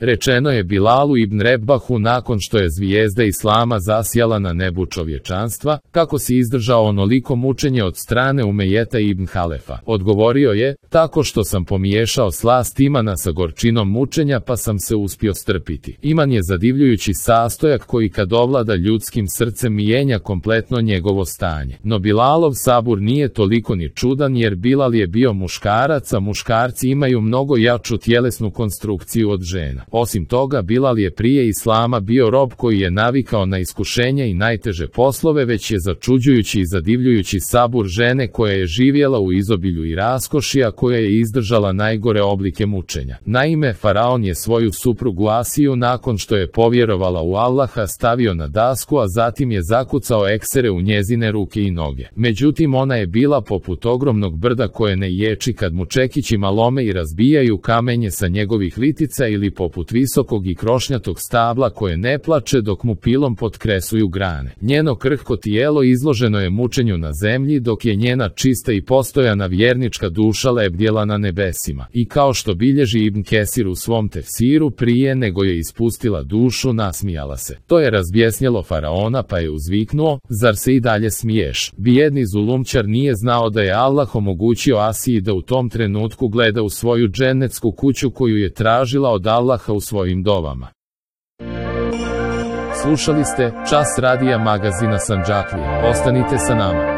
Rečeno je Bilalu ibn Rebahu nakon što je zvijezda Islama zasjala na nebu čovječanstva, kako si izdržao onoliko mučenje od strane Umejeta ibn Halefa. Odgovorio je, tako što sam pomiješao slast imana sa gorčinom mučenja pa sam se uspio strpiti. Iman je zadivljujući sastojak koji kad ovlada ljudskim srcem mijenja kompletno njegovo stanje. No Bilalov sabur nije toliko ni čudan jer Bilal je bio muškarac, a muškarci imaju mnogo jaču tjelesnu konstrukciju od žena. Osim toga, Bilal je prije Islama bio rob koji je navikao na iskušenja i najteže poslove, već je začuđujući i zadivljujući sabur žene koja je živjela u izobilju i raskoši, a koja je izdržala najgore oblike mučenja. Naime, faraon je svoju suprugu Asiju nakon što je povjerovala u Allaha stavio na dasku, a zatim je zakucao eksere u njezine ruke i noge. Međutim, ona je bila poput ogromnog brda koje ne ječi kad mu čekićima lome i razbijaju kamenje sa njegovih litica, ili poput visokog i krošnjatog stabla koje ne plače dok mu pilom potkresuju grane. Njeno krhko tijelo izloženo je mučenju na zemlji, dok je njena čista i postojana vjernička duša lebdjela na nebesima. I kao što bilježi Ibn Kesir u svom tefsiru, prije nego je ispustila dušu, nasmijala se. To je razbjesnjelo faraona, pa je uzviknuo, zar se i dalje smiješ? Bijedni zulumčar nije znao da je Allah omogućio Asiji da u tom trenutku gleda u svoju džennetsku kuću koju je tražila od Allaha u svojim dovama. Slušali ste Čas radija magazina Sandžaklija. Ostanite sa nama.